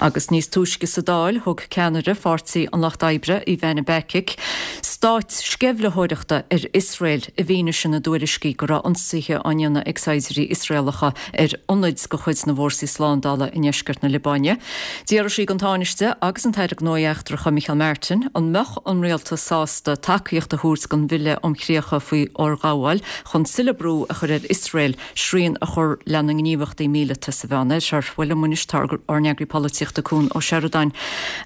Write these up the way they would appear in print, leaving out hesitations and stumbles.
Agus níos túisce sa Dáil, thug ceannaire Pháirtí an Lucht Oibre, Ivana Bacik, stát sceimhlitheoireachta ar Iosrael i bhfianaise na dtuairiscí go raibh ionsaithe á ndéanamh ag saighdiúirí Iosraelacha ar ionaid de chuid na bhfórsaí slándála i ndeisceart na Liobáine. D'fhiafraigh sí den Tánaiste agus an tAire Gnóthaí Eachtracha Micheál Martin an mbeadh an rialtas sásta tacaíocht a thabhairt don bhille um chríocha faoi fhorghabháil chun tuilleadh brú a chur ar Iosrael srian a chur lena ngníomhaíochtaí míleata sa Mheánoirthear. Bhuel liom anois tá ár n-eagraí polaitíochta Cuan Ó Seireadáin.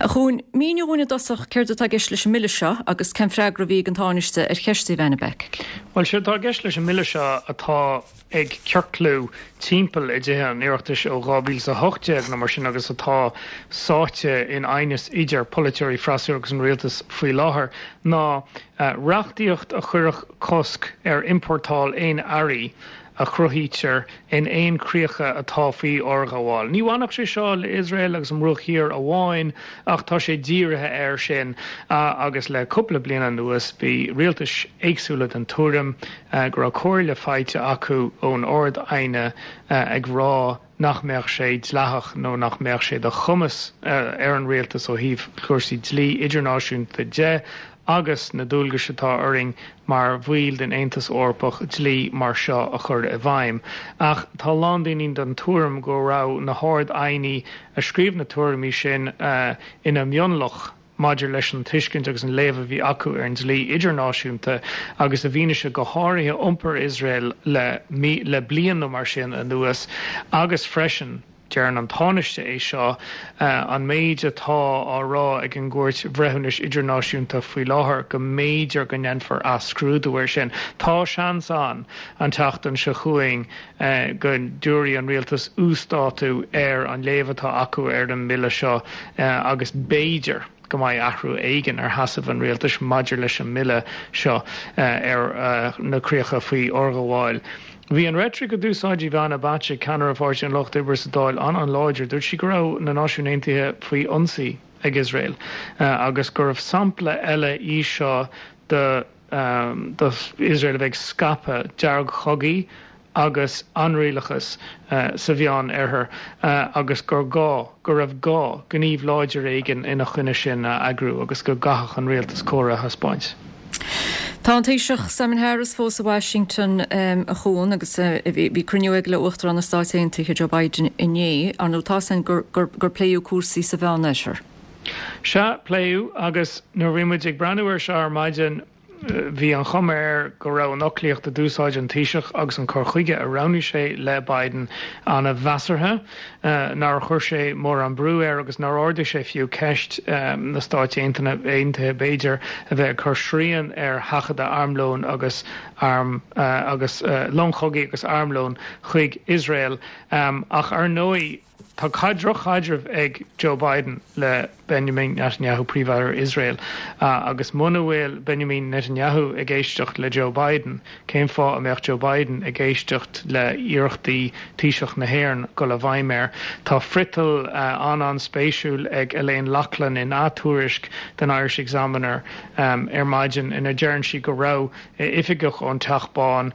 A Chuain, mínigh dhúinn i dtosach céard atá i gceist leis an mbille seo agus cén freagra a bhí ag an Tánaiste ar cheist Ivana Bacik. Bhuel, séard atá i gceist leis an mbille seo atá ag ciorclú timpeall i dTithe an Oireachtais ó 2018 nó mar sin agus atá sáite in aighneas idir polaiteoirí freasúra agus an rialtas faoi láthair ná reachtaíocht a chuirfeadh cosc ar iompórtáil aon earraí a chruthaítear in aon chríocha atá faoi fhorghabháil. Ní bhainfeadh sé seo le Iosrael agus an Bruach Thiar amháin ach tá sé dírithe air sin agus le cúpla bliain anuas bhí rialtais éagsúla den tuairim go raibh comhairle faighte acu ón Ard-Aighne ag rá nach mbeadh sé dleathach nó nach mbeadh sé de chumas ar an rialtas ó thaobh chúrsaí dlí idirnáisiúnta de agus na dualgais atá orainn mar bhaill den Aontas Eorpach dlí mar seo a chur i bhfeidhm. Ach tá a lán daoine den tuairim go raibh na hArd-Aighní a scríobh na tuairimí sin ina mionlach maidir leis an tuiscint agus an léamh a bhí acu ar an dlí idirnáisiúnta agus i bhfianaise go háirithe iompar Iosrael le le bliain nó mar sin anuas agus freisin, deireann an Tánaiste é seo, an méid atá á rá ag an gCúirt Bhreithiúnais Idirnáisiúnta faoi láthair go mb'fhéidir go ndéanfar athscrúdú air sin. Tá seans ann an tseachtain seo chugainn go dtabharfaidh an rialtas uasdátú ar an léamh atá acu ar an mbille seo agus b'fhéidir go mbeidh athrú éigin ar sheasamh an rialtais maidir leis an mbille seo ar na críocha faoi fhorghabháil. Bhí an reitric a d'úsáid Ivana Bacik, ceannaire Pháirtí an Lucht Oibre sa Dáil, an-an-láidir. Dúirt sí go raibh na Náisiúin Aontaithe faoi ionsaí ag Iosrael agus gurbh sampla eile í seo de d'Iosrael a bheith ag scaipeadh deargchogaí agus ainrialachas sa Mheán Oirthear agus gur gá, go raibh gá, gníomh láidir éigin ina choinne sin a eagrú agus go gcaithfeadh an rialtas cóir a thaispeáint. Tá an Taoiseach Simon Harris fós i Washington, a Chuan, agus bhí cruinniú aige le Uachtarán na Stát Aontaithe Joe Biden inné. Ar ndóigh, tá a fhios againn gur pléadh cúrsaí sa Mheánoirthear. Sea, pléadh, agus nuair a bhí muid ag breathnú air seo ar maidin, bhí an chuma air go raibh an fhoclaíocht a d'úsáid an Taoiseach agus an cur chuige a roghnaigh sé le Biden an-mheasartha, nár chuir sé mórán brú air agus nár ardaigh sé fiú ceist na Stáit Aontaithe, b'fhéidir, a bheith ag cur srian ar sheachadadh armlóin agus arm agus long chogaidh agus armlóin chuig Iosrael. Ach ar ndóigh, Tá droch-chaidreamh ag Joe Biden le Benjamin Netanyahu, Príomh-Aire Iosrael, agus muna bhfuil Benjamin Netanyahu ag éisteacht le Joe Biden, cén fáth a mbeadh Joe Biden ag éisteacht le hiarrachtaí Taoiseach na hÉireann dul i bhfeidhm air? Tá friotal an-an-spéisiúil ag Elaine Loughlin in ath-tuairisc den Irish Examiner ar maidin ina deireann sí go raibh oifigeach ón Teach Bán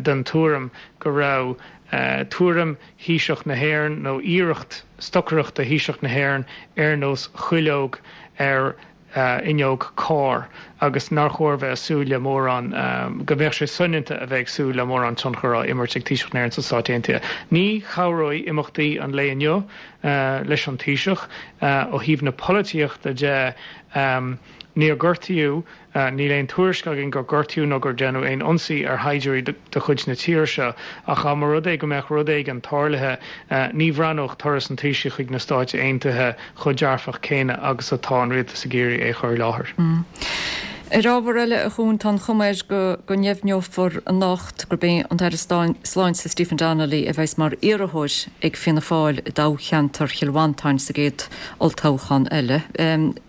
den tuairim go raibh tuairim Thaoiseach na hÉireann nó iarracht stocaireachta Thaoiseach na hÉireann ar nós cuileog ar fhuinneog cairr agus nár chóir bheith ag súil le mórán, go mbeadh sé soineanta a bheith ag súil le mórán tionchar á imirt ag Taoiseach na hÉireann sna Stáit Aontaithe. Ní chabhróidh imeachtaí an lae inniu leis an Taoiseach. Ó thaobh na polaitíochta de, níor gortaíodh Níl aon tuairisc againn gur gortaíodh nó gur déanadh aon ionsaí ar shaighdiúirí de chuid na tíre seo, ach dá mba rud é go mbeadh rud éigin tarlaithe, ní bhreathnódh turas an Taoisigh chuig na Stáit Aontaithe chomh dearfach céanna agus atá an rialtas ag iarraidh é a chur i láthair. Ar ábhar eile, a Chuain, tá an chuma air go ndeimhneofar anocht gurb é an tAire Sláinte Stephen Donnelly a bheas mar iarrthóir ag Fianna Fáil i dtoghcheantar Chill Mhantáin sa gcéad olltoghchán eile.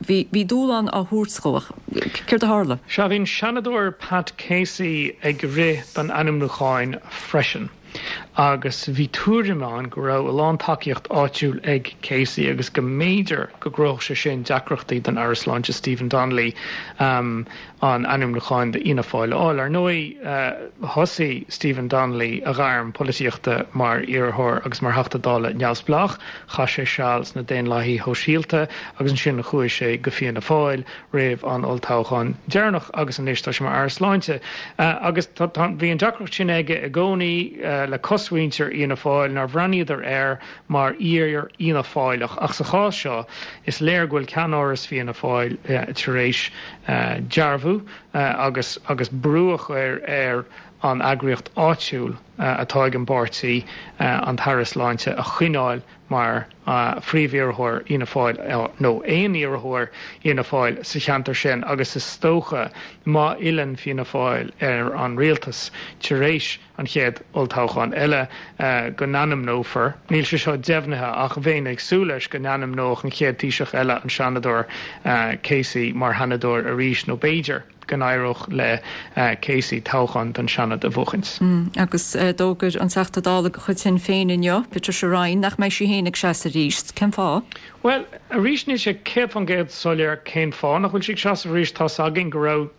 Bhí dúshlán á thabhairt dhó ach céard a tharla? Sea, bhí an Seanadóir Pat Casey ag rith don ainmniúcháin freisin. Agus bhí tuairim ann go raibh a lán tacaíocht áitiúil ag Casey agus go mb'fhéidir go gcruthódh sé sin deacrachtaí don Aire Sláinte Stephen Donnelly an ainmniúcháin d'Fhianna Fáil a fháil. Ar ndóigh, thosaigh Stephen Donnelly a ghairm polaitíochta mar iarrthóir agus mar Theachta Dála neamhspleách. Chaith sé seal sna Daonlathaithe Shóisialta agus ansin chuaigh sé go Fianna Fáil. roimh an olltoghchán deireanach agus anois tá sé mar Aire Sláinte. Agus tá, bhí an deacracht sin aige i gcónaí le cosmhuintir Fhianna Fáil nár bhreathnaíodar air mar fhíor-Fhianna Fáileach. Ach sa chás seo is léir go bhfuil ceannáras Fianna Fáil tar éis dearbhú agus agus brú a chur ar an eagraíocht áitiúil atá ag an bpáirtí an tAire Sláinte a choinneáil mar phríomhiarrthóir Fhianna Fáil nó aon iarrthóir Fhianna Fáil sa cheantar sin agus is dócha má fhilleann Fianna Fáil ar an rialtas tar éis an chéad olltoghchán eile go n-ainmneofar, níl sé seo deimhnithe ach bheinn ag súil leis, go n-ainmneodh an chéad Taoiseach eile an Seanadóir Casey mar Sheanadóir arís nó b'fhéidir. go n-éireodh le Casey toghchán don Seanad a bhuachaint. Agus d'fhógair an Teachta Dála de chuid Shinn Féin inniu, Patricia Ryan, nach mbeidh sí féin ag seasamh arís. Cén fáth? Bhuel, arís níl sé 100% soiléir cén fáth nach bhfuil sí ag seasamh arís. Tá's againn go raibh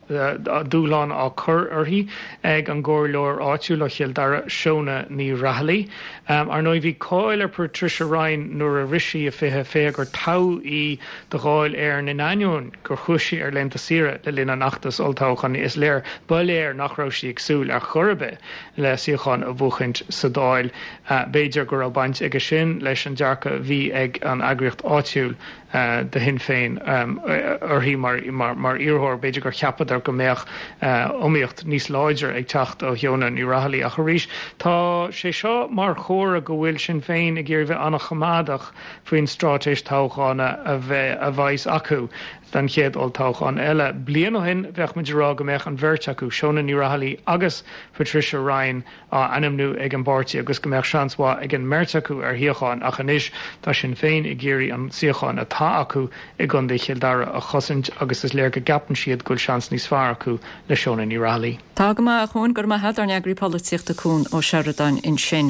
dúshlán á cur uirthi ag an gcomhairleoir áitiúil ó Chill Dara, Shona Ní Raghallaigh. Ar ndóigh, bhí cáil ar Patricia Ryan nuair a rith sí i 2020 gur toghadh í do Dháil Éireann in ainneoin gur chuaigh sí ar laethanta saoire le linn an fheachtais olltoghcháin. Is léir, ba léir nach raibh sí ag súil ar chor ar bith le suíochán a bhuachaint sa Dáil. B'fhéidir go raibh baint aige sin leis an dearcadh a bhí ag an eagraíocht áitiúil de Shinn Féin uirthi mar iarrthóir. B'fhéidir gur cheapadar go mbeadh iomaíocht níos láidre ag teacht ó Shiona Ní Raghallaigh. Ach arís, tá sé seo mar chomhartha go bhfuil Sinn Féin ag iarraidh bheith an-choimeádach faoin straitéis toghchána a bheidh a bheas acu don chéad olltoghchán eile. Bliain ó shin, bheadh muid ag rá go mbeadh an bheirt acu, Shona Ní Raghallaigh agus Patricia Ryan, á ainmniú ag an bpáirtí agus go mbeadh seans mhaith ag an mbeirt acu ar shuíochán ach anois tá Sinn Féin ag iarraidh an suíochán atá acu i gContae Chill Dara a chosaint agus is léir go gceapann siad go bhfuil seans níos fearr acu le Shona Ní Raghallaigh. Tá go maith, a Chuain, go raibh maith agat, ár n-eagraí polaitíochta Cuan Ó Seireadáin ansin.